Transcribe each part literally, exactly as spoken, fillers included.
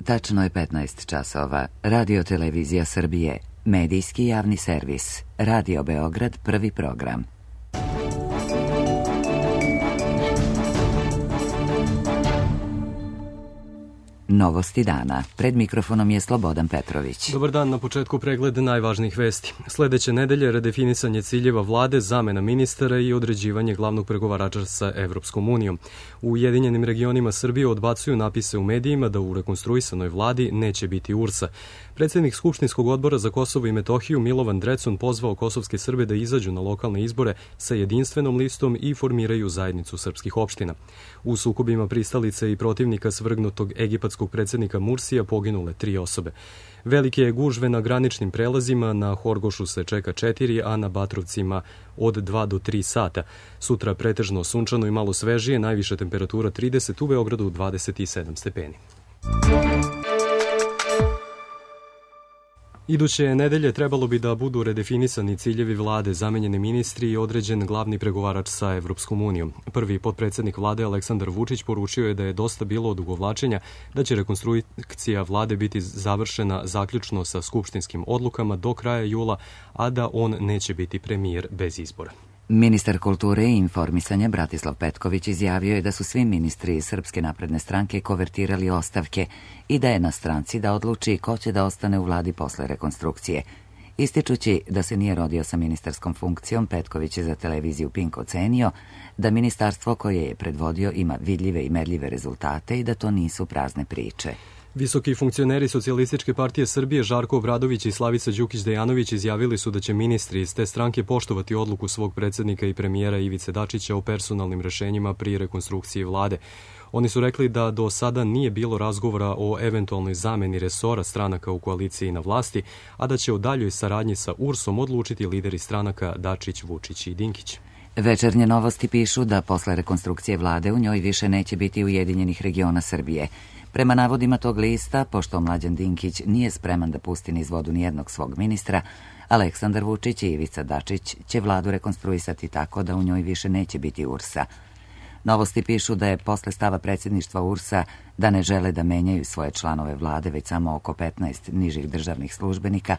Tačno je petnaest časova. Radio Televizija Srbije, medijski javni servis. Radio Beograd, prvi program. Novosti dana. Pred mikrofonom je Slobodan Petrović. Dobar dan, na početku pregled najvažnijih vesti. Sledeće nedelje redefinisanje ciljeva vlade, zamena ministara i određivanje glavnog pregovarača sa Evropskom unijom. U Ujedinjenim regionima Srbije odbacuju napise u medijima da u rekonstruisanoj vladi neće biti U R S-a. Predsednik Skupštinskog odbora za Kosovo i Metohiju Milovan Drecun pozvao kosovske Srbe da izađu na lokalne izbore sa jedinstvenom listom i formiraju zajednicu srpskih opština. U sukobima pristalice i protivnika svrgnutog egipatskog predsednika Mursija poginule tri osobe. Velike je gužve na graničnim prelazima, na Horgošu se čeka četiri, a na Batrovcima od dva do tri sata. Sutra pretežno sunčano i malo svežije, najviša temperatura trideset, u Beogradu dvadeset sedam stepeni. Iduće nedelje trebalo bi da budu redefinisani ciljevi vlade, zamenjeni ministri i određen glavni pregovarač sa Evropskom unijom. Prvi potpredsednik vlade Aleksandar Vučić poručio je da je dosta bilo odugovlačenja, da će rekonstrukcija vlade biti završena zaključno sa skupštinskim odlukama do kraja jula, a da on neće biti premijer bez izbora. Ministar kulture i informisanja Bratislav Petković izjavio je da su svi ministri iz Srpske napredne stranke kovertirali ostavke i da je na stranci da odluči ko će da ostane u vladi posle rekonstrukcije. Ističući da se nije rodio sa ministarskom funkcijom, Petković je za televiziju Pink ocenio da ministarstvo koje je predvodio ima vidljive i merljive rezultate i da to nisu prazne priče. Visoki funkcioneri Socijalističke partije Srbije Žarko Obradović i Slavica Đukić-Dejanović izjavili su da će ministri iz te stranke poštovati odluku svog predsednika i premijera Ivice Dačića o personalnim rešenjima pri rekonstrukciji vlade. Oni su rekli da do sada nije bilo razgovora o eventualnoj zameni resora stranaka u koaliciji na vlasti, a da će o daljoj saradnji sa U R S-om odlučiti lideri stranaka Dačić, Vučić i Dinkić. Večernje novosti pišu da posle rekonstrukcije vlade u njoj više neće biti Ujedinjenih regiona Srbije. Prema navodima tog lista, pošto Mlađan Dinkić nije spreman da pusti niz vodu nijednog svog ministra, Aleksandar Vučić i Ivica Dačić će vladu rekonstruisati tako da u njoj više neće biti U R S-a. Novosti pišu da je posle stava predsjedništva U R S-a da ne žele da menjaju svoje članove vlade, već samo oko petnaest nižih državnih službenika,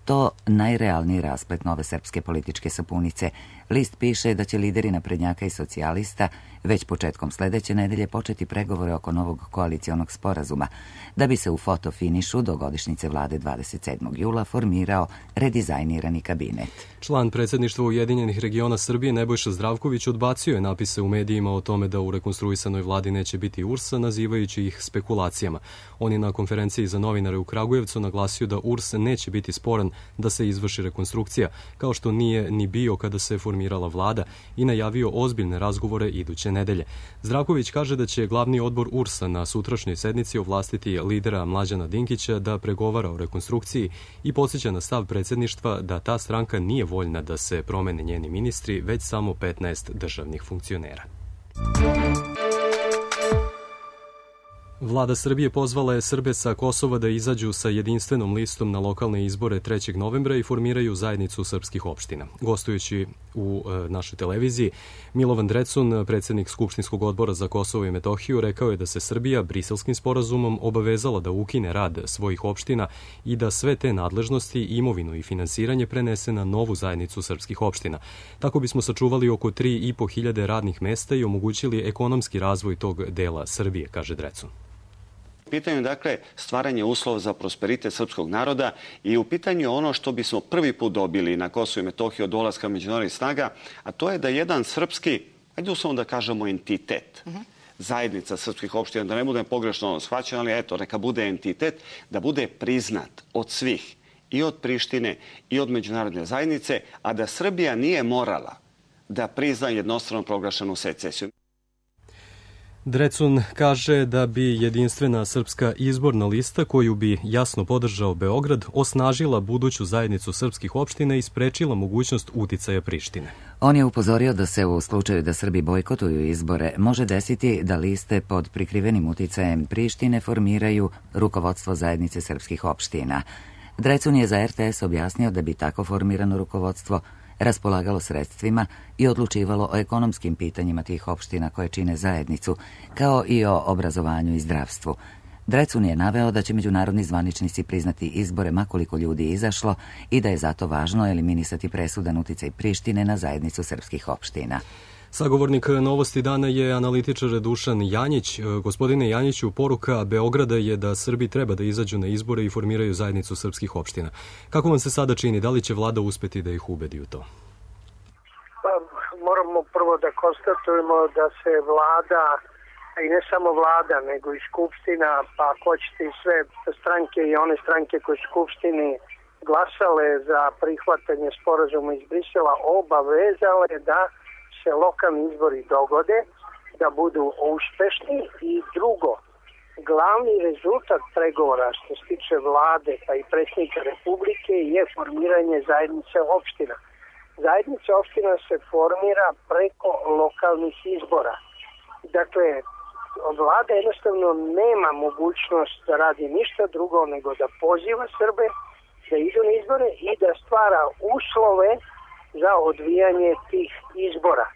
to najrealniji rasplet nove srpske političke sapunice. List piše da će lideri naprednjaka i socijalista već početkom sledeće nedelje početi pregovore oko novog koalicionog sporazuma, da bi se u fotofinišu do godišnjice vlade dvadeset sedmog jula formirao redizajnirani kabinet. Član predsjedništva Ujedinjenih regiona Srbije Nebojša Zdravković odbacio je napise u medijima o tome da u rekonstruisanoj vladi neće biti U R S-a, nazivajući ih spekulacijama. On je na konferenciji za novinare u Kragujevcu naglasio da U R S neće biti sporan da se izvrši rekonstrukcija, kao što nije ni bio kada se formirala vlada, i najavio ozbiljne razgovore iduće nedelje. Zdravković kaže da će glavni odbor U R S-a na sutrašnjoj sednici ovlastiti lidera Mlađana Dinkića da pregovara o rekonstrukciji i podsjeća na stav predsjedništva da ta stranka nije voljna da se promene njeni ministri, već samo petnaest državnih funkcionera. Vlada Srbije pozvala je Srbe sa Kosova da izađu sa jedinstvenom listom na lokalne izbore trećeg novembra i formiraju zajednicu srpskih opština. Gostujući u e, našoj televiziji, Milovan Drecun, predsednik Skupštinskog odbora za Kosovo i Metohiju, rekao je da se Srbija Briselskim sporazumom obavezala da ukine rad svojih opština i da sve te nadležnosti, imovinu i finansiranje prenese na novu zajednicu srpskih opština. Tako bismo sačuvali oko tri i po hiljade radnih mesta i omogućili ekonomski razvoj tog dela Srbije, kaže Drecun. U pitanju, dakle, stvaranje uslova za prosperitet srpskog naroda i u pitanju ono što bismo prvi put dobili na Kosovo i Metohiju od dolaska međunarodnih snaga, a to je da jedan srpski, ajde uslovno da kažemo entitet, uh -huh. zajednica srpskih opština, da ne bude pogrešno shvaćeno, ali eto, neka bude entitet, da bude priznat od svih, i od Prištine i od međunarodne zajednice, a da Srbija nije morala da prizna jednostrano proglašenu secesiju. Drecun kaže da bi jedinstvena srpska izborna lista, koju bi jasno podržao Beograd, osnažila buduću zajednicu srpskih opština i sprečila mogućnost uticaja Prištine. On je upozorio da se u slučaju da Srbi bojkotuju izbore može desiti da liste pod prikrivenim uticajem Prištine formiraju rukovodstvo zajednice srpskih opština. Drecun je za R T S objasnio da bi tako formirano rukovodstvo raspolagalo sredstvima i odlučivalo o ekonomskim pitanjima tih opština koje čine zajednicu, kao i o obrazovanju i zdravstvu. Drecun je naveo da će međunarodni zvaničnici priznati izbore ma koliko ljudi izašlo i da je zato važno eliminisati presudan uticaj Prištine na zajednicu srpskih opština. Sagovornik Novosti dana je analitičar Dušan Janjić. Gospodine Janjiću, poruka Beograda je da Srbi treba da izađu na izbore i formiraju zajednicu srpskih opština. Kako vam se sada čini? Da li će vlada uspeti da ih ubedi u to? Pa, moramo prvo da konstatujemo da se vlada, i ne samo vlada, nego i skupština, pa ako hoćete i sve stranke i one stranke koje su u skupštini glasale za prihvatanje sporazuma iz Brisela, obavezale da se lokalni izbori dogode, da budu uspešni. I drugo, glavni rezultat pregovora što se tiče vlade pa i predsjednika Republike je formiranje zajednice opština. Zajednica opština se formira preko lokalnih izbora. Dakle, vlada jednostavno nema mogućnost da radi ništa drugo nego da poziva Srbe da idu na izbore i da stvara uslove za odvijanje tih izbora.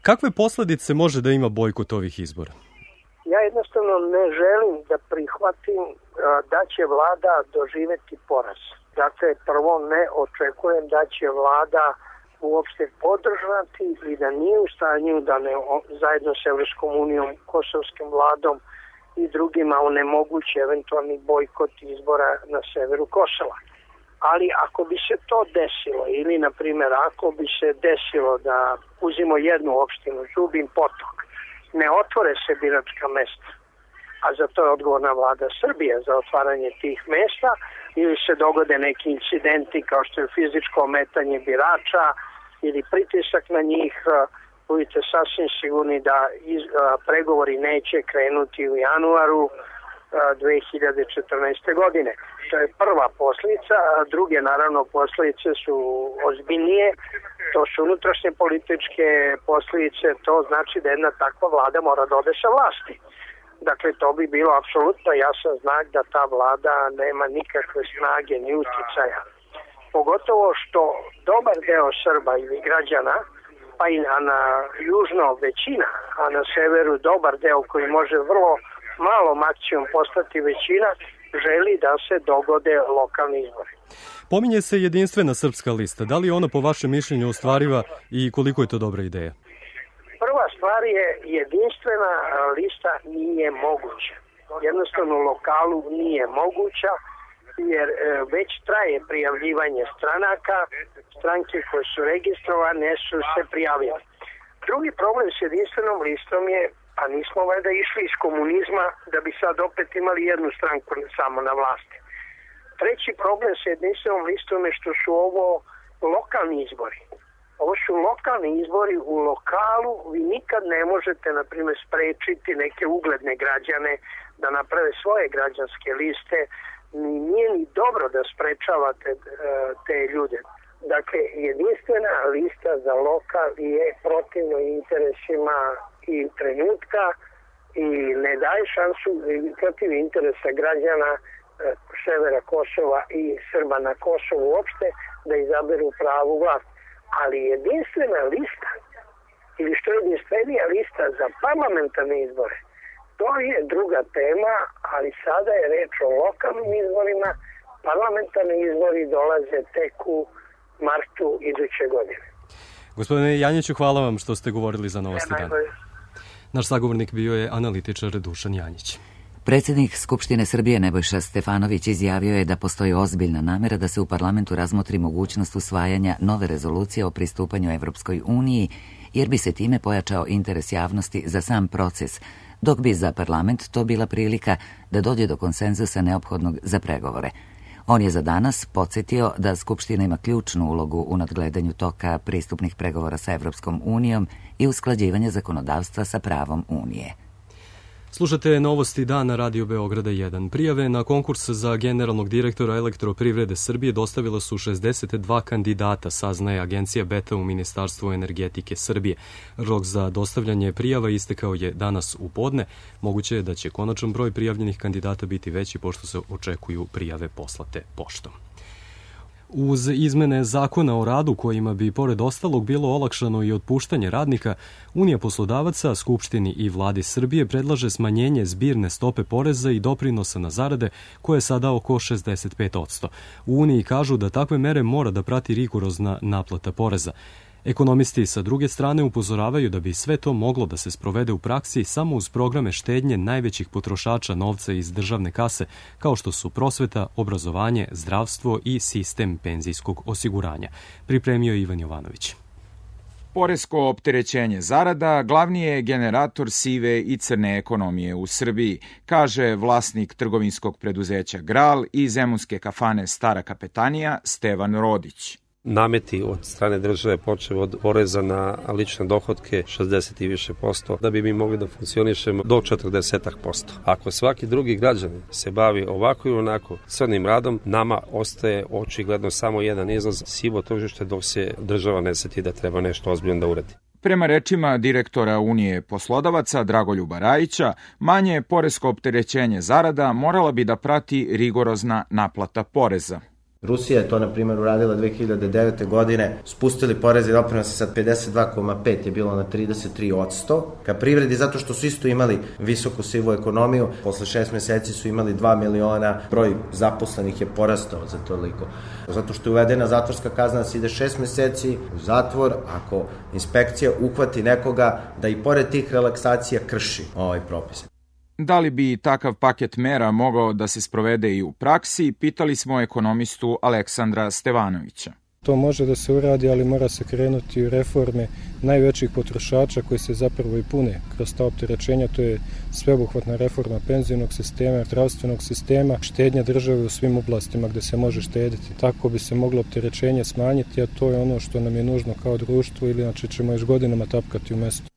Kakve posledice može da ima bojkot ovih izbora? Ja jednostavno ne želim da prihvatim da će vlada doživeti poraz. Dakle, prvo ne očekujem da će vlada uopšte podržati i da nije u stanju da ne, zajedno s Evropskom unijom, kosovskim vladom i drugima onemogući eventualni bojkot izbora na severu Kosova. Ali ako bi se to desilo, ili na primjer ako bi se desilo da uzimo jednu opštinu, Zubin Potok, ne otvore se biračka mesta, a za to je odgovorna vlada Srbije za otvaranje tih mesta, ili se dogode neki incidenti kao što je fizičko ometanje birača ili pritisak na njih, budite sasvim sigurni da iz, a, pregovori neće krenuti u januaru a, dve hiljade četrnaeste. godine. To je prva posljedica, a druge naravno posljedice su ozbiljnije, to su unutrašnje političke posljedice, to znači da jedna takva vlada mora da ode sa vlasti. Dakle, to bi bilo apsolutno jasan znak da ta vlada nema nikakve snage ni uticaja. Pogotovo što dobar deo Srba ili građana, pa i na južno većina, a na severu dobar deo koji može vrlo malom akcijom postati većina, želi da se dogode lokalni izbori. Pominje se jedinstvena srpska lista. Da li je ona po vašem mišljenju ostvariva i koliko je to dobra ideja? Prva stvar je jedinstvena lista nije moguća. Jednostavno u lokalu nije moguća jer već traje prijavljivanje stranaka, stranke koje su registrovane su se prijavile. Drugi problem s jedinstvenom listom je, a nismo valjda išli iz komunizma da bi sad opet imali jednu stranku samo na vlasti. Treći problem s jedinstvenom listom je što su ovo lokalni izbori. Ovo su lokalni izbori u lokalu, vi nikad ne možete, na primjer, sprečiti neke ugledne građane da naprave svoje građanske liste. Nije ni dobro da sprečavate te ljude. Dakle, jedinstvena lista za lokal je protivno interesima i trenutka i ne daje šansu protiv interesa građana severa Kosova i Srba na Kosovu uopšte da izaberu pravu vlast. Ali jedinstvena lista ili što je jedinstvenija lista za parlamentarne izbore, to je druga tema, ali sada je reč o lokalnim izborima. Parlamentarni izbori dolaze tek u martu iduće godine. Gospodine Janjiću, hvala vam što ste govorili za Novosti dan. Naš sagovornik bio je analitičar Dušan Janjić. Predsjednik Skupštine Srbije Nebojša Stefanović izjavio je da postoji ozbiljna namera da se u parlamentu razmotri mogućnost usvajanja nove rezolucije o pristupanju Evropskoj uniji, jer bi se time pojačao interes javnosti za sam proces, dok bi za parlament to bila prilika da dođe do konsenzusa neophodnog za pregovore. On je za danas podsjetio da Skupština ima ključnu ulogu u nadgledanju toka pristupnih pregovora sa Evropskom unijom i usklađivanja zakonodavstva sa pravom Unije. Slušate Novosti dana Radio Beograda jedan. Prijave na konkurs za generalnog direktora Elektroprivrede Srbije dostavila su šezdeset dva kandidata, saznaje agencija Beta u Ministarstvu energetike Srbije. Rok za dostavljanje prijava istekao je danas u podne. Moguće je da će konačan broj prijavljenih kandidata biti veći pošto se očekuju prijave poslate poštom. Uz izmene zakona o radu kojima bi pored ostalog bilo olakšano i otpuštanje radnika, Unija poslodavaca, Skupštini i Vladi Srbije predlaže smanjenje zbirne stope poreza i doprinosa na zarade koje je sada oko šezdeset pet posto. U Uniji kažu da takve mere mora da prati rigorozna naplata poreza. Ekonomisti sa druge strane upozoravaju da bi sve to moglo da se sprovede u praksi samo uz programe štednje najvećih potrošača novca iz državne kase, kao što su prosveta, obrazovanje, zdravstvo i sistem penzijskog osiguranja. Pripremio je Ivan Jovanović. Poresko opterećenje zarada glavni je generator sive i crne ekonomije u Srbiji, kaže vlasnik trgovinskog preduzeća Gral i zemunske kafane Stara Kapetanija Stevan Rodić. Nameti od strane države počeo od poreza na lične dohotke šezdeset i više posto, da bi mi mogli da funkcionišemo do četrdeset posto. Ako svaki drugi građanin se bavi ovako i onako crnim radom, nama ostaje očigledno samo jedan izlaz, sivo tržište, dok se država ne seti da treba nešto ozbiljno da uradi. Prema rečima direktora Unije poslodavaca Dragoljuba Rajića, manje poresko opterećenje zarada morala bi da prati rigorozna naplata poreza. Rusija je to, na primjer, uradila dve hiljade devete. godine, spustili poreze i doprinose sa pedeset dva zarez pet je bilo na trideset tri posto. Ka privredi, zato što su isto imali visoku sivu ekonomiju, posle šest meseci su imali dva miliona, broj zaposlenih je porastao za toliko. Zato što je uvedena zatvorska kazna da se ide šest meseci u zatvor ako inspekcija uhvati nekoga da i pored tih relaksacija krši ovaj propis. Da li bi takav paket mera mogao da se sprovede i u praksi, pitali smo ekonomistu Aleksandra Stevanovića. To može da se uradi, ali mora se krenuti u reforme najvećih potrošača koji se zapravo i pune kroz ta opterećenja. To je sveobuhvatna reforma penzionog sistema, zdravstvenog sistema, štednja države u svim oblastima gde se može štediti. Tako bi se moglo opterećenje smanjiti, a to je ono što nam je nužno kao društvo, ili inače ćemo još godinama tapkati u mestu.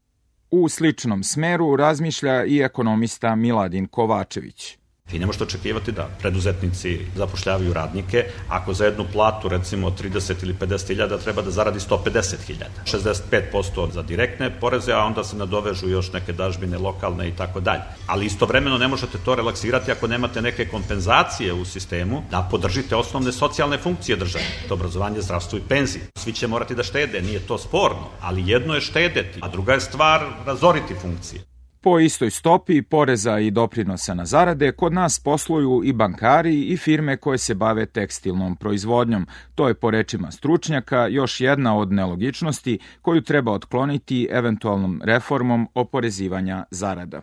U sličnom smeru razmišlja i ekonomista Miladin Kovačević. Vi ne možete očekivati da preduzetnici zapošljavaju radnike ako za jednu platu, recimo trideset ili pedeset hiljada, treba da zaradi sto pedeset hiljada. šezdeset pet posto za direktne poreze, a onda se nadovežu još neke dažbine lokalne i tako dalje. Ali istovremeno ne možete to relaksirati ako nemate neke kompenzacije u sistemu da podržite osnovne socijalne funkcije države, to obrazovanje, zdravstvo i penzije. Svi će morati da štede, nije to sporno, ali jedno je štedeti, a druga je stvar razoriti funkcije. Po istoj stopi poreza i doprinosa na zarade kod nas posluju i bankari i firme koje se bave tekstilnom proizvodnjom. To je po rečima stručnjaka još jedna od nelogičnosti koju treba otkloniti eventualnom reformom oporezivanja zarada.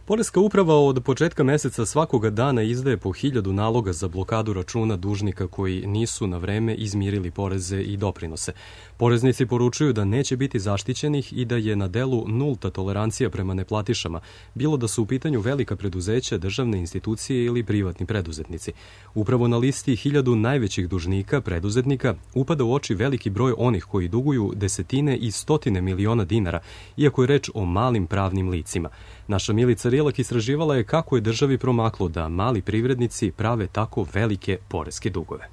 Poreska uprava od početka meseca svakoga dana izdaje po hiljadu naloga za blokadu računa dužnika koji nisu na vreme izmirili poreze i doprinose. Poreznici poručuju da neće biti zaštićenih i da je na delu nulta tolerancija prema neplatišama, bilo da su u pitanju velika preduzeća, državne institucije ili privatni preduzetnici. Upravo na listi hiljadu najvećih dužnika, preduzetnika, upada u oči veliki broj onih koji duguju desetine i stotine miliona dinara, iako je reč o malim pravnim licima. Naša Milica Rilak istraživala je kako je državi promaklo da mali privrednici prave tako velike poreske dugove.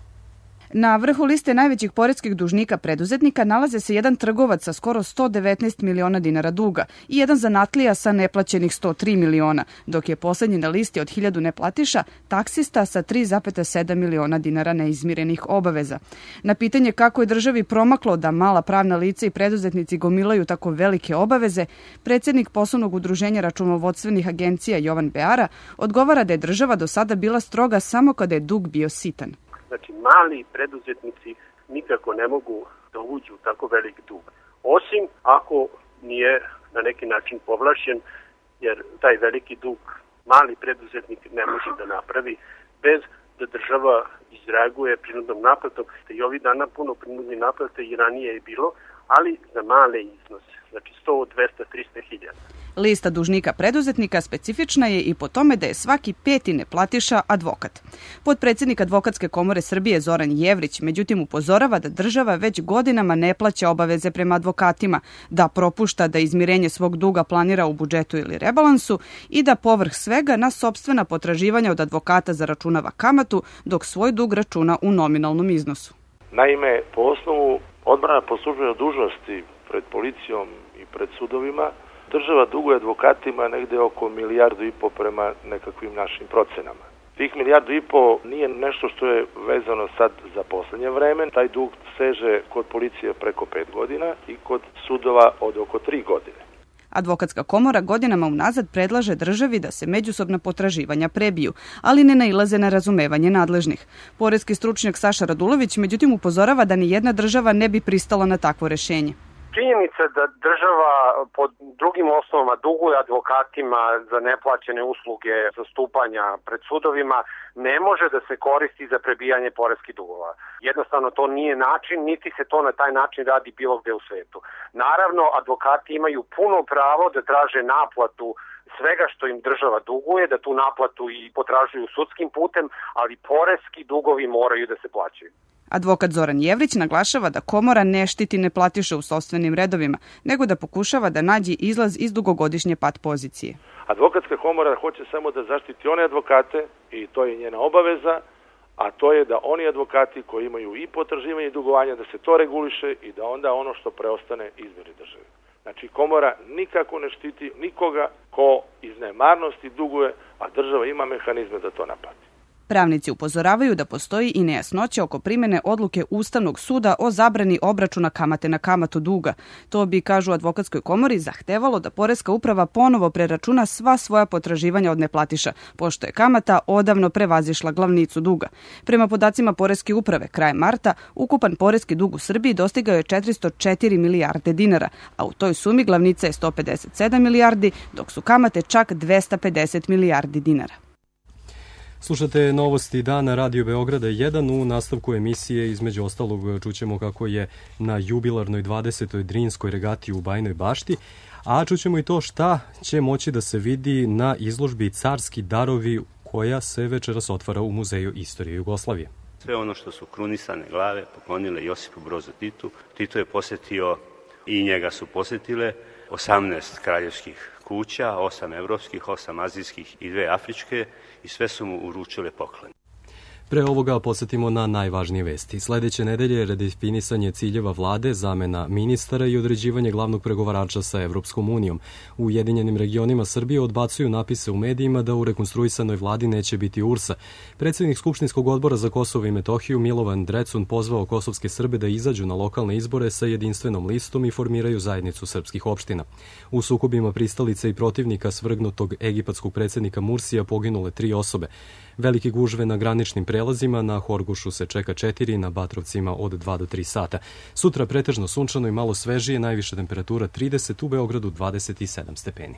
Na vrhu liste najvećih poreskih dužnika preduzetnika nalaze se jedan trgovac sa skoro sto devetnaest miliona dinara duga i jedan zanatlija sa neplaćenih sto tri miliona, dok je poslednji na listi od hiljadu neplatiša taksista sa tri zarez sedam miliona dinara neizmirenih obaveza. Na pitanje kako je državi promaklo da mala pravna lica i preduzetnici gomilaju tako velike obaveze, predsednik poslovnog udruženja računovodstvenih agencija Jovan Beara odgovara da je država do sada bila stroga samo kada je dug bio sitan. Znači, mali preduzetnici nikako ne mogu da uđu u tako velik dug. Osim ako nije na neki način povlašćen, jer taj veliki dug mali preduzetnik ne može da napravi bez da država izreaguje prinudnom naplatom. I ovih dana puno prinudne naplate i ranije je bilo, ali za male iznose. Znači sto, dvesta, trista hiljada. Lista dužnika preduzetnika specifična je i po tome da je svaki peti neplatiša advokat. Potpredsednik Advokatske komore Srbije Zoran Jevrić međutim upozorava da država već godinama ne plaća obaveze prema advokatima, da propušta da izmirenje svog duga planira u budžetu ili rebalansu i da povrh svega na sopstvena potraživanja od advokata zaračunava kamatu, dok svoj dug računa u nominalnom iznosu. Naime, po osnovu odbrana po službenoj dužnosti pred policijom i pred sudovima, država duguje advokatima negde oko milijardu i po prema nekakvim našim procenama. Tih milijardu i po nije nešto što je vezano sad za poslednje vreme. Taj dug seže kod policije preko pet godina i kod sudova od oko tri godine. Advokatska komora godinama unazad predlaže državi da se međusobna potraživanja prebiju, ali ne nailaze na razumevanje nadležnih. Poreski stručnjak Saša Radulović međutim upozorava da ni jedna država ne bi pristala na takvo rešenje. Činjenica da država pod drugim osnovama duguje advokatima za neplaćene usluge zastupanja pred sudovima ne može da se koristi za prebijanje poreskih dugova. Jednostavno to nije način, niti se to na taj način radi bilo gde u svetu. Naravno, advokati imaju puno pravo da traže naplatu svega što im država duguje, da tu naplatu i potražuju sudskim putem, ali poreski dugovi moraju da se plaćaju. Advokat Zoran Jevrić naglašava da komora ne štiti neplatiše u sopstvenim redovima, nego da pokušava da nađe izlaz iz dugogodišnje pat pozicije. Advokatska komora hoće samo da zaštiti one advokate, i to je njena obaveza, a to je da oni advokati koji imaju i potraživanje i dugovanja, da se to reguliše i da onda ono što preostane izmiri državi. Znači, komora nikako ne štiti nikoga ko iz nemarnosti duguje, a država ima mehanizme da to naplati. Pravnici upozoravaju da postoji i nejasnoća oko primene odluke Ustavnog suda o zabrani obračuna kamate na kamatu duga. To bi, kažu advokatskoj komori, zahtevalo da Poreska uprava ponovo preračuna sva svoja potraživanja od neplatiša, pošto je kamata odavno prevazišla glavnicu duga. Prema podacima Poreske uprave, krajem marta, ukupan poreski dug u Srbiji dostigao je četiristo četiri milijarde dinara, a u toj sumi glavnica je sto pedeset sedam milijardi, dok su kamate čak dvesta pedeset milijardi dinara. Slušate novosti dana Radio Beograda jedan. U nastavku emisije između ostalog čućemo kako je na jubilarnoj dvadesetoj Drinskoj regati u Bajnoj Bašti, a čućemo i to šta će moći da se vidi na izložbi Carski darovi koja se večeras otvara u Muzeju istorije Jugoslavije. Sve ono što su krunisane glave poklonile Josipu Brozu Titu. Tito je posjetio i njega su posjetile osamnaest kraljevskih kuća, osam evropskih, osam azijskih i dve afričke i sve su mu uručile poklon. Pre ovoga podsjetimo na najvažnije vesti. Sledeće nedelje je redefinisanje ciljeva vlade, zamena ministara i određivanje glavnog pregovarača sa Evropskom unijom. U Ujedinjenim regionima Srbije odbacuju napise u medijima da u rekonstruisanoj vladi neće biti U R S-a. Predsednik Skupštinskog odbora za Kosovo i Metohiju Milovan Drecun pozvao kosovske Srbe da izađu na lokalne izbore sa jedinstvenom listom i formiraju zajednicu srpskih opština. U sukobima pristalica i protivnika svrgnutog egipatskog predsednika Mursija poginule tri osobe. Velike gužve na graničnim prelazima, na Horgošu se čeka četiri, na Batrovcima od dva do tri sata. Sutra pretežno sunčano i malo svežije, najviša temperatura trideset, u Beogradu dvadeset sedam stepeni.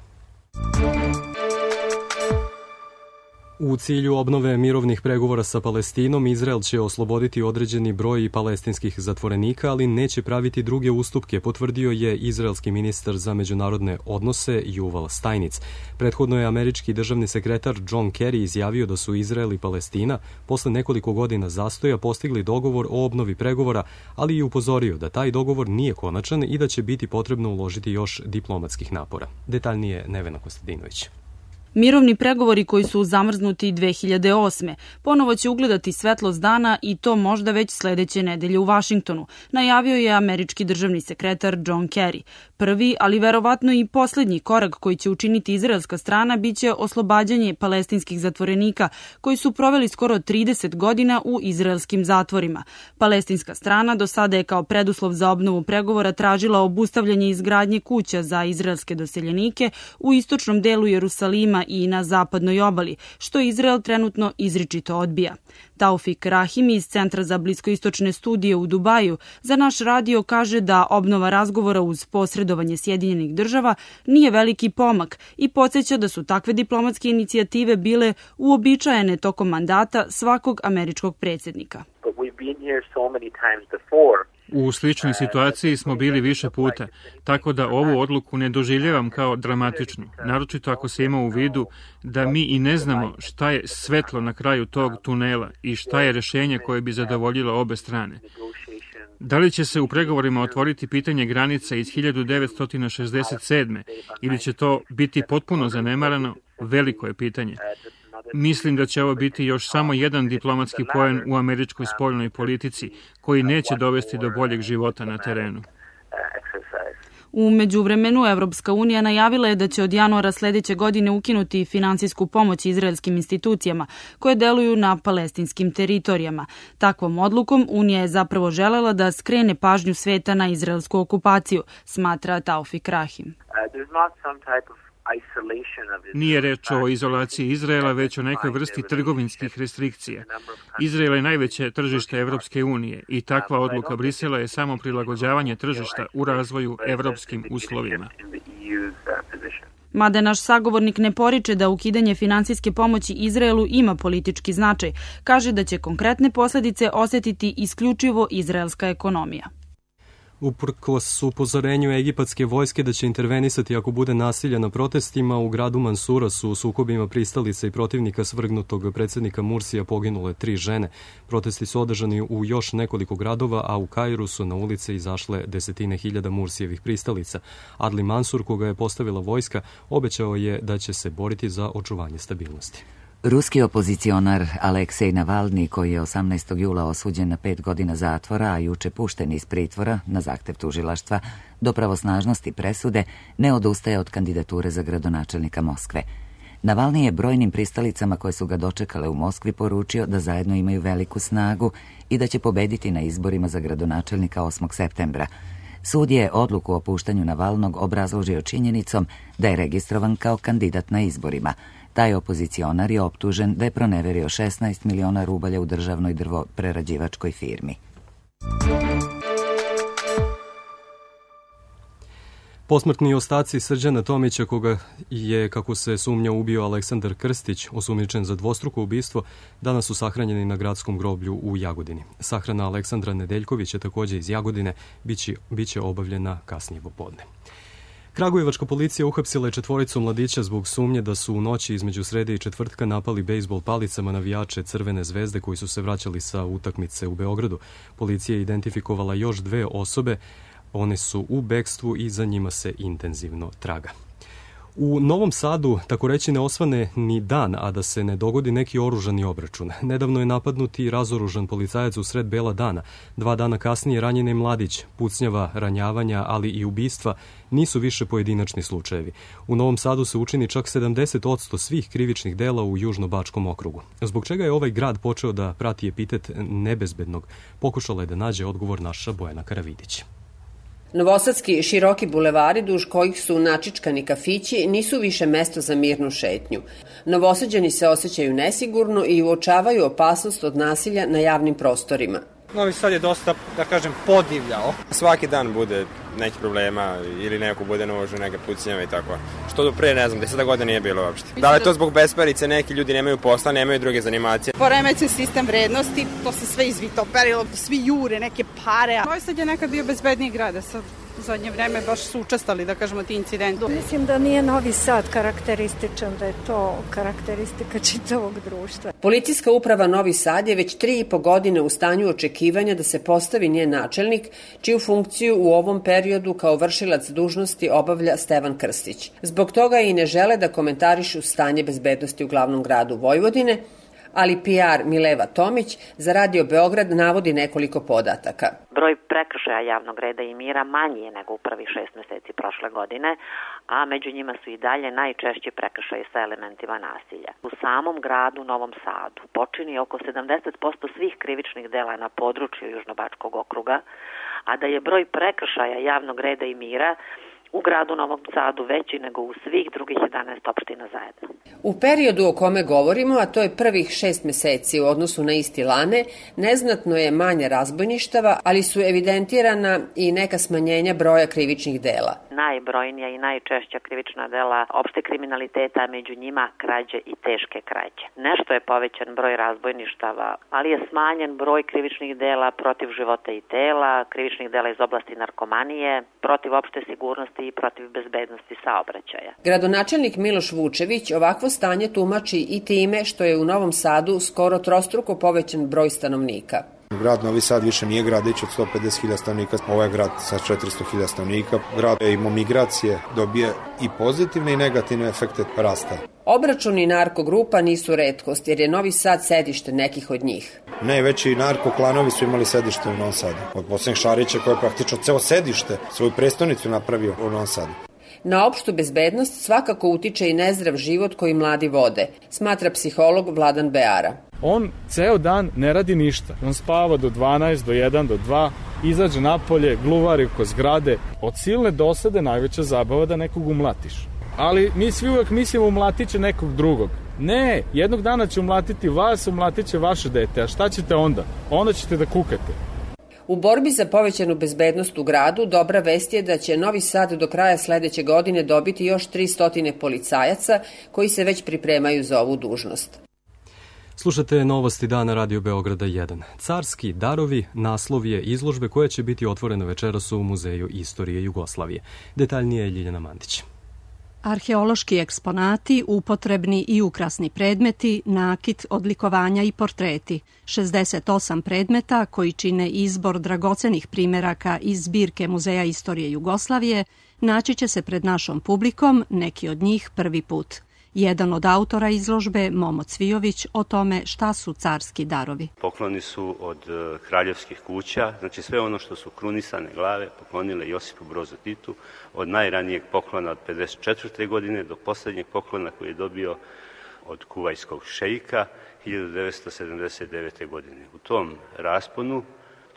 U cilju obnove mirovnih pregovora sa Palestinom, Izrael će osloboditi određeni broj palestinskih zatvorenika, ali neće praviti druge ustupke, potvrdio je izraelski ministar za međunarodne odnose Juval Stajnic. Prethodno je američki državni sekretar John Kerry izjavio da su Izrael i Palestina posle nekoliko godina zastoja postigli dogovor o obnovi pregovora, ali i upozorio da taj dogovor nije konačan i da će biti potrebno uložiti još diplomatskih napora. Detaljnije Nevena Kostadinović. Mirovni pregovori koji su zamrznuti dve hiljade osme ponovo će ugledati svetlost dana i to možda već sledeće nedelje u Vašingtonu, najavio je američki državni sekretar John Kerry. Prvi, ali verovatno i poslednji korak koji će učiniti izraelska strana biće oslobađanje palestinskih zatvorenika koji su proveli skoro trideset godina u izraelskim zatvorima. Palestinska strana do sada je kao preduslov za obnovu pregovora tražila obustavljanje izgradnje kuća za izraelske doseljenike u istočnom delu Jerusalima i na zapadnoj obali, što Izrael trenutno izričito odbija. Taufik Rahim iz Centra za bliskoistočne studije u Dubaju za naš radio kaže da obnova razgovora uz posredovanje Sjedinjenih država nije veliki pomak i podsjeća da su takve diplomatske inicijative bile uobičajene tokom mandata svakog američkog predsjednika. U sličnoj situaciji smo bili više puta, tako da ovu odluku ne doživljavam kao dramatičnu, naročito ako se ima u vidu da mi i ne znamo šta je svetlo na kraju tog tunela i šta je rešenje koje bi zadovoljilo obe strane. Da li će se u pregovorima otvoriti pitanje granica iz hiljadu devetsto šezdeset sedme ili će to biti potpuno zanemarano, veliko je pitanje. Mislim da će ovo biti još samo jedan diplomatski poen u američkoj spoljnoj politici koji neće dovesti do boljeg života na terenu. U međuvremenu Evropska unija najavila je da će od januara sledeće godine ukinuti finansijsku pomoć izraelskim institucijama koje deluju na palestinskim teritorijama. Takvom odlukom Unija je zapravo želela da skrene pažnju sveta na izraelsku okupaciju, smatra Taufik Rahim. Nije reč o izolaciji Izraela, već o nekoj vrsti trgovinskih restrikcija. Izrael je najveće tržište Evropske unije i takva odluka Brisela je samo prilagođavanje tržišta u razvoju evropskim uslovima. Mada naš sagovornik ne poriče da ukidanje finansijske pomoći Izraelu ima politički značaj, kaže da će konkretne posledice osetiti isključivo izraelska ekonomija. Uprkos upozorenju egipatske vojske da će intervenisati ako bude nasilja na protestima, u gradu Mansura su u sukobima pristalica i protivnika svrgnutog predsjednika Mursija poginule tri žene. Protesti su održani u još nekoliko gradova, a u Kairu su na ulice izašle desetine hiljada Mursijevih pristalica. Adli Mansur, koga je postavila vojska, obećao je da će se boriti za očuvanje stabilnosti. Ruski opozicionar Aleksej Navalni, koji je osamnaestog jula osuđen na pet godina zatvora, a juče pušten iz pritvora na zahtev tužilaštva do pravosnažnosti presude, ne odustaje od kandidature za gradonačelnika Moskve. Navalni je brojnim pristalicama koje su ga dočekale u Moskvi poručio da zajedno imaju veliku snagu i da će pobediti na izborima za gradonačelnika osmog septembra. Sud je odluku o puštanju Navalnog obrazložio činjenicom da je registrovan kao kandidat na izborima. Taj opozicionar je optužen da je proneverio šesnaest miliona rubalja u državnoj drvoprerađivačkoj firmi. Posmrtni ostaci Srđana Tomića, koga je, kako se sumnja, ubio Aleksandar Krstić, osumnjičen za dvostruko ubistvo, danas su sahranjeni na gradskom groblju u Jagodini. Sahrana Aleksandra Nedeljkovića, takođe iz Jagodine, biće, biće obavljena kasnije popodne. Kragujevačka policija uhapsila je četvoricu mladića zbog sumnje da su u noći između srede i četvrtka napali bejsbol palicama navijače Crvene zvezde koji su se vraćali sa utakmice u Beogradu. Policija je identifikovala još dve osobe, one su u bekstvu i za njima se intenzivno traga. U Novom Sadu, tako reći, ne osvane ni dan, a da se ne dogodi neki oružani obračun. Nedavno je napadnut i razoružan policajac u sred bela dana. Dva dana kasnije ranjen je mladić. Pucnjava, ranjavanja, ali i ubistva nisu više pojedinačni slučajevi. U Novom Sadu se učini čak sedamdeset posto svih krivičnih dela u Južnobačkom okrugu. Zbog čega je ovaj grad počeo da prati epitet nebezbednog, pokušala je da nađe odgovor naša Bojana Karavidić. Novosadski široki bulevari duž kojih su načičkani kafići nisu više mesto za mirnu šetnju. Novosađani se osjećaju nesigurno i uočavaju opasnost od nasilja na javnim prostorima. Novi Sad je dosta, da kažem, podivljao. Svaki dan bude neki problema ili neko bude novožu, neke pucnjave i tako. Što do pre, ne znam, deseta godina nije bilo uopšte. Da li je to zbog besparice, neki ljudi nemaju posla, nemaju druge zanimacije? Poremećen sistem vrednosti, to se sve izvitoperilo, svi jure, neke pare. Novi Sad je nekad bio bezbedniji grad, sad u zadnje vreme baš su učestali, da kažemo, ti incidenti. Mislim da nije Novi Sad karakterističan, da je to karakteristika čitavog društva. Policijska uprava Novi Sad je već tri i po godine u stanju očekivanja da se postavi njen načelnik, čiju funkciju u ovom periodu kao vršilac dužnosti obavlja Stevan Krstić. Zbog toga i ne žele da komentarišu stanje bezbednosti u glavnom gradu Vojvodine, ali P R Mileva Tomić za Radio Beograd navodi nekoliko podataka. Broj prekršaja javnog reda i mira manji je nego u prvih šest meseci prošle godine, a među njima su i dalje najčešći prekršaji sa elementima nasilja. U samom gradu Novom Sadu počini oko sedamdeset posto svih krivičnih dela na području Južnobačkog okruga, a da je broj prekršaja javnog reda i mira u gradu Novom Sadu veći nego u svih drugih jedanaest opština zajedno. U periodu o kome govorimo, a to je prvih šest meseci u odnosu na isti lane, neznatno je manje razbojništava, ali su evidentirana i neka smanjenja broja krivičnih dela. Najbrojnija i najčešća krivična dela opšte kriminaliteta, među njima krađe i teške krađe. Nešto je povećan broj razbojništava, ali je smanjen broj krivičnih dela protiv života i tela, krivičnih dela iz oblasti narkomanije, protiv opšte sigurnosti i protiv bezbednosti saobraćaja. Gradonačelnik Miloš Vučević ovakvo stanje tumači i time što je u Novom Sadu skoro trostruko povećan broj stanovnika. Grad Novi Sad više nije gradić od sto pedeset hiljada stanovnika, ovo je grad sa četiristo hiljada stanovnika. Grad ima migracije, dobije i pozitivne i negativne efekte rasta. Obračuni narkogrupa nisu retkost jer je Novi Sad sedište nekih od njih. Najveći narkoklanovi su imali sedište u Novom Sadu. Od posljednjeg Šarića koji je praktično ceo sedište, svoju prestonicu napravio u Novom Sadu. Na opštu bezbednost svakako utiče i nezdrav život koji mladi vode, smatra psiholog Vladan Beara. On ceo dan ne radi ništa. On spava do dvanaest, do jedan, do dva, izađe napolje, gluvari oko zgrade. Od silne dosade najveća zabava da nekog umlatiš. Ali mi svi uvek mislimo umlatit će nekog drugog. Ne, jednog dana će umlatiti vas, umlatit će vaše dete. A šta ćete onda? Onda ćete da kukate. U borbi za povećanu bezbednost u gradu dobra vest je da će Novi Sad do kraja sledeće godine dobiti još tristo policajaca koji se već pripremaju za ovu dužnost. Slušate novosti dana Radio Beograda jedan. Carski darovi naslov je izložbe koja će biti otvorena večeras u Muzeju istorije Jugoslavije. Detaljnije je Ljiljana Mandić. Arheološki eksponati, upotrebni i ukrasni predmeti, nakit, odlikovanja i portreti. šezdeset osam predmeta koji čine izbor dragocenih primeraka iz zbirke Muzeja istorije Jugoslavije naći će se pred našom publikom, neki od njih prvi put. Jedan od autora izložbe, Momo Cvijović, o tome šta su carski darovi. Pokloni su od kraljevskih kuća, znači sve ono što su krunisane glave poklonile Josipu Brozu Titu, od najranijeg poklona od pedeset četvrte godine do poslednjeg poklona koji je dobio od kuvajskog šeika hiljadu devetsto sedamdeset devete. godine. U tom rasponu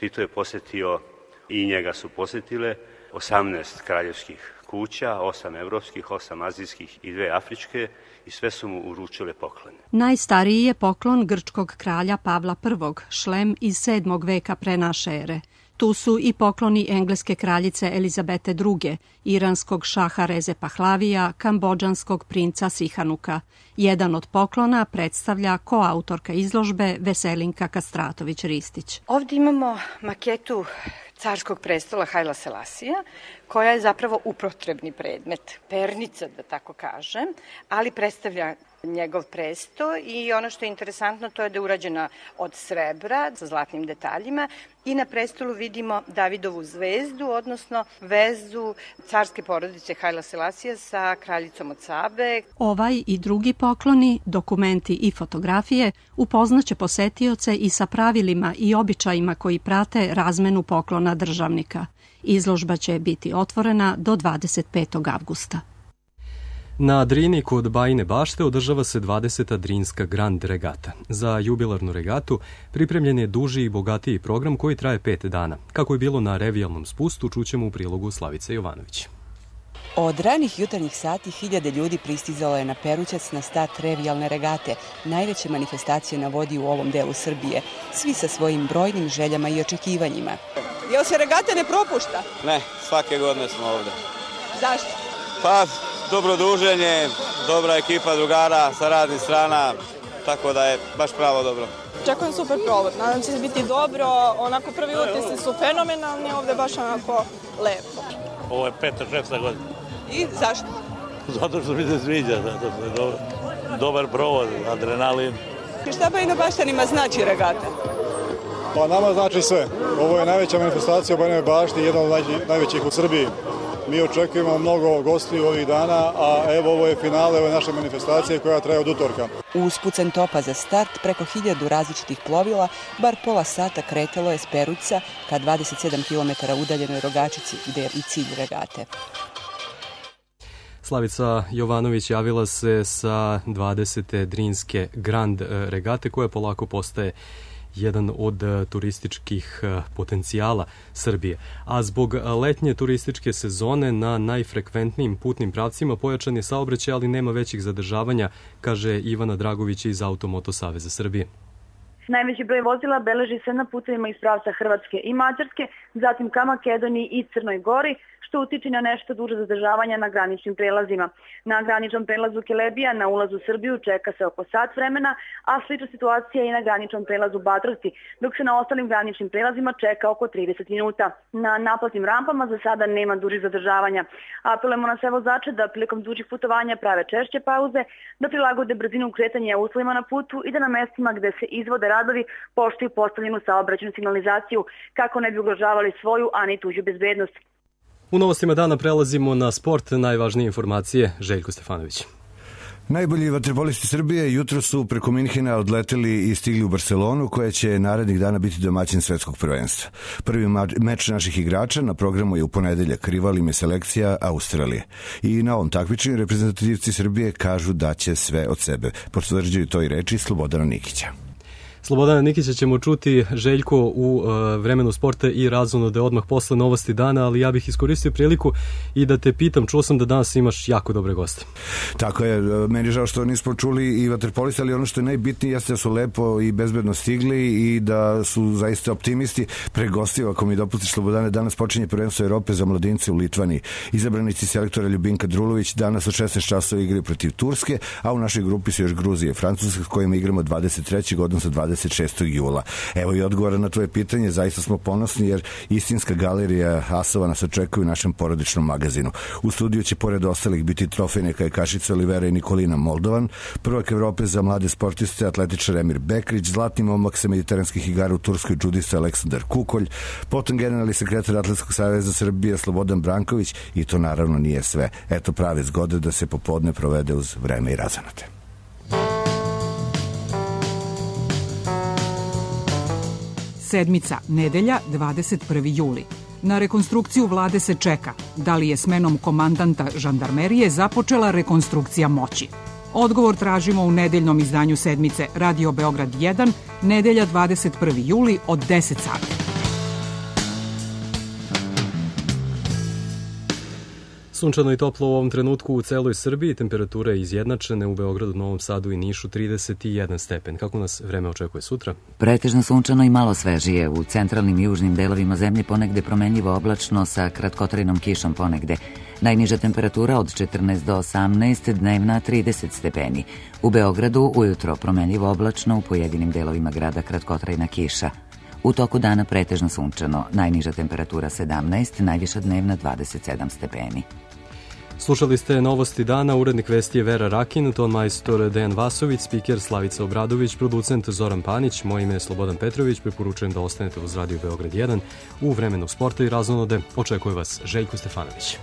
Tito je posetio i njega su posetile osamnaest kraljevskih kuća, osam evropskih, osam azijskih i dve afričke i sve su mu uručile poklone. Najstariji je poklon grčkog kralja Pavla prvog, šlem iz sedmog veka pre naše ere. Tu su i pokloni engleske kraljice Elizabete druge, iranskog šaha Reze Pahlavija, kambodžanskog princa Sihanuka. Jedan od poklona predstavlja koautorka izložbe Veselinka Kastratović-Ristić. Ovdje imamo maketu carskog prestola Hajla Selasija, koja je zapravo upotrebni predmet, pernica da tako kažem, ali predstavlja njegov presto i ono što je interesantno to je da je urađena od srebra sa zlatnim detaljima i na prestolu vidimo Davidovu zvezdu, odnosno vezu carske porodice Hajla Selasija sa kraljicom od Sabe. Ovaj i drugi pokloni, dokumenti i fotografije upoznaće posetioce i sa pravilima i običajima koji prate razmenu poklona državnika. Izložba će biti otvorena do dvadeset petog avgusta. Na Drini kod Bajine bašte održava se dvadeseta Drinska Grand Regata. Za jubilarnu regatu pripremljen je duži i bogatiji program koji traje pet dana. Kako je bilo na revijalnom spustu, čućemo u prilogu Slavice Jovanović. Od ranih jutarnjih sati hiljade ljudi pristizalo je na Perućac na start revijalne regate, najveće manifestacije na vodi u ovom delu Srbije, svi sa svojim brojnim željama i očekivanjima. Jel se regata ne propušta? Ne, svake godine smo ovde. Zašto? Pa, dobro druženje, dobra ekipa drugara sa raznih strana, tako da je baš pravo dobro. Očekujem super provod, nadam se da će biti dobro, onako prvi utisci su fenomenalni, ovde baš onako lepo. Ovo je peta, šesta godina. I zašto? Zato što mi se sviđa, zato što je dobar, dobar provod, adrenalin. I šta Bajina Baštanima znači regata? Pa nama znači sve. Ovo je najveća manifestacija u Bajinoj Bašti, jedna od najvećih u Srbiji. Mi očekujemo mnogo gostiju ovih dana, a evo ovo je finale ove naše manifestacije koja traje od utorka. Uz pucanj topa za start preko hiljadu različitih plovila, bar pola sata kretalo je s Perućca ka dvadeset sedam kilometara udaljenoj Rogačici, gde je i cilj regate. Slavica Jovanović javila se sa dvadesete Drinske Grand Regate koja polako postaje jedan od turističkih potencijala Srbije. A zbog letnje turističke sezone na najfrekventnijim putnim pravcima pojačan je saobraćaj, ali nema većih zadržavanja, kaže Ivana Dragović iz Automoto Saveza Srbije. Najveći broj vozila beleži se na putevima iz pravca Hrvatske i Mađarske, zatim ka Makedoniji i Crnoj Gori, što utiče na nešto duže zadržavanja na graničnim prelazima. Na graničnom prelazu Kelebija na ulazu u Srbiju čeka se oko sat vremena, a slična situacija je i na graničnom prelazu Batrosti, dok se na ostalim graničnim prelazima čeka oko trideset minuta. Na naplatnim rampama za sada nema dužih zadržavanja. Apelujemo na sve vozače da prilikom dužih putovanja prave češće pauze, da prilagode brzinu kretanja uslovima na putu i da na mestima gde se izvode radovi poštuju postavljenu saobraćajnu signalizaciju kako ne bi ugrožavali svoju, a ni tuđu bezbednost. U novostima dana prelazimo na sport, najvažnije informacije, Željko Stefanović. Najbolji vaterpolisti Srbije jutro su preko Minhena odleteli i stigli u Barcelonu, koja će narednih dana biti domaćin svetskog prvenstva. Prvi meč naših igrača na programu je u ponedeljak, rival im je selekcija Australije. I na ovom takmičenju reprezentativci Srbije kažu da će sve od sebe. Potvrđuju to i reči Slobodana Nikića. Slobodana Nikića ćemo čuti, Željko, u uh, vremenu sporta i razonode odmah posle novosti dana, ali ja bih iskoristio priliku i da te pitam, čuo sam da danas imaš jako dobre goste. Tako je, meni je žao što nismo čuli i vaterpolista, ali ono što je najbitnije jeste da su lepo i bezbedno stigli i da su zaista optimisti. Pre gostiju, ako mi dopustiš, Slobodane, danas počinje prvenstvo Evrope za mladince u Litvani. Izabranici selektora Ljubinka Drulović danas od šesnaest časova igraju protiv Turske, a u našoj grupi su još Gruzije i Francuska, s kojima igramo dvadeset trećeg odnosno dvadeset šestog jula. Evo i odgovora na tvoje pitanje, zaista smo ponosni jer istinska galerija asova nas očekuje u našem porodičnom magazinu. U studiju će pored ostalih biti trofejne kajakašice Olivera i Nikolina Moldovan, prvak Evrope za mlade sportiste atletičar Emir Bekrić, zlatni momak sa mediteranskih igara u Turskoj džudista Aleksandar Kukolj, potom generalni sekretar Atletskog saveza Srbije Slobodan Branković i to naravno nije sve. Eto prave zgode da se popodne provede uz vreme i razonode. Sedmica, nedelja, dvadeset prvi juli. Na rekonstrukciju vlade se čeka. Da li je smenom komandanta žandarmerije započela rekonstrukcija moći? Odgovor tražimo u nedeljnom izdanju sedmice Radio Beograd jedan, nedelja dvadeset prvi juli od deset sati. Sunčano i toplo u ovom trenutku u celoj Srbiji, temperature izjednačene u Beogradu, Novom Sadu i Nišu trideset jedan stepen. Kako nas vreme očekuje sutra? Pretežno sunčano i malo svežije. U centralnim i južnim delovima zemlje ponegde promenljivo oblačno sa kratkotrajnom kišom ponegde. Najniža temperatura od četrnaest do osamnaest, dnevna trideset stepeni. U Beogradu ujutro promenljivo oblačno, u pojedinim delovima grada kratkotrajna kiša. U toku dana pretežno sunčano, najniža temperatura sedamnaest, najviša dnevna dvadeset sedam stepeni. Slušali ste novosti dana, urednik vesti je Vera Rakin, ton majstor Dejan Vasović, spiker Slavica Obradović, producent Zoran Panić, moje ime je Slobodan Petrović, preporučujem da ostanete uz Radio Beograd jedan. U vremenu sporta i razonode očekuje vas Željko Stefanović.